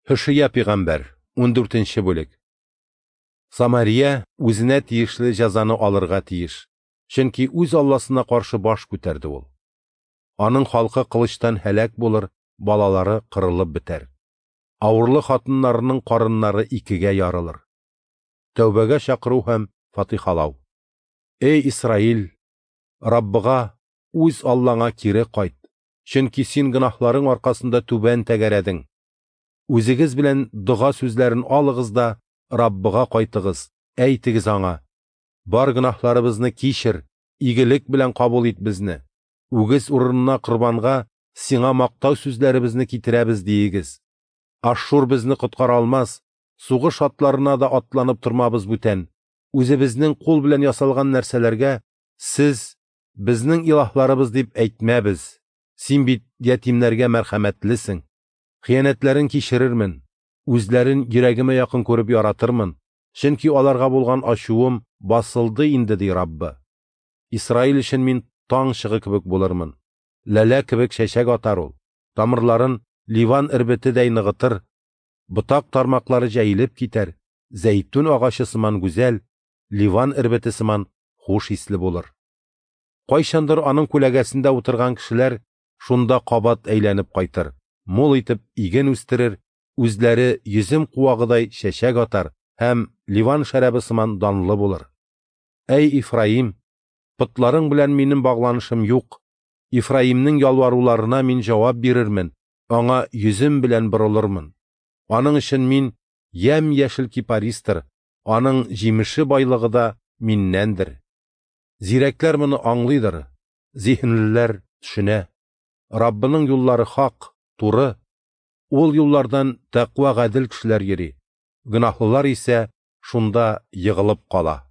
Һошия пәйгамбәр, 14 нче бүлек. Самария үзенә тиешле җәзаны алырга тиеш, чөнки үз Алласына каршы баш күтәрде ул. Аның халкы кылычтан һәлак булыр, балалары кырылып бетәр. Авырлы хатыннарының карыннары икегә ярылыр. Тәүбәгә чакыру һәм фатихалау. Эй Исраил, Раббыга, үз Аллаңа кире кайт, чөнки син гөнаһларың аркасында түбән тәгәрәдең. Үзегез белән дога сүзләрен алыгыз да Раббыга кайтыгыз, әйтегез аңа: Бар гөнаһларыбызны кичер, игелек белән кабул ит безне. Үгез урынына корбанга сиңа мактау сүзләребезне китерәбез диегез. Ашшур безне коткара алмас, сугыш атларына да атланып тормабыз бүтән. Үзебезнең кул белән ясалган нәрсәләргә сез безнең илаһларыбыз дип әйтмәбез. Син бит ятимнәргә мәрхәмәтлесең. Хыянәтләрен кичерермен, үзләрен йөрәгемә якын күреп яратырмын, чөнки аларга булган ачуым басылды инде, ди Раббы. Исраил өчен мин таң чыгы кебек булырмын. Ләлә кебек чәчәк атар ул. Тамырларын Ливан эрбетедәй ныгытыр, ботак тармаклары җәелеп китәр, зәйтүн агачы сыман гүзәл, Ливан эрбете сыман хуш исле булыр. Кайчандыр аның күләгәсендә утырган кешеләр шунда кабат әйләнеп кайтыр, мул итеп иген үстерер, үзләре йөзем куагыдай чәчәк атар һәм Ливан шәрабы сыман данлы булыр. Әй Ифраим, потларың белән минем багланышым юк. Ифраимнең ялваруларына мин җавап бирермен, аңа йөзем белән борылырмын. Аның өчен мин ямь-яшел кипаристыр, аның җимеше байлыгы да миннәндер. Зирәкләр моны аңлыйдыр, зиһенлеләр төшенә. Раббының юллары хак, туры. Ул юллардан тәкъва гадел кешеләр йөри. Гөнаһлылар исә шунда егылып кала.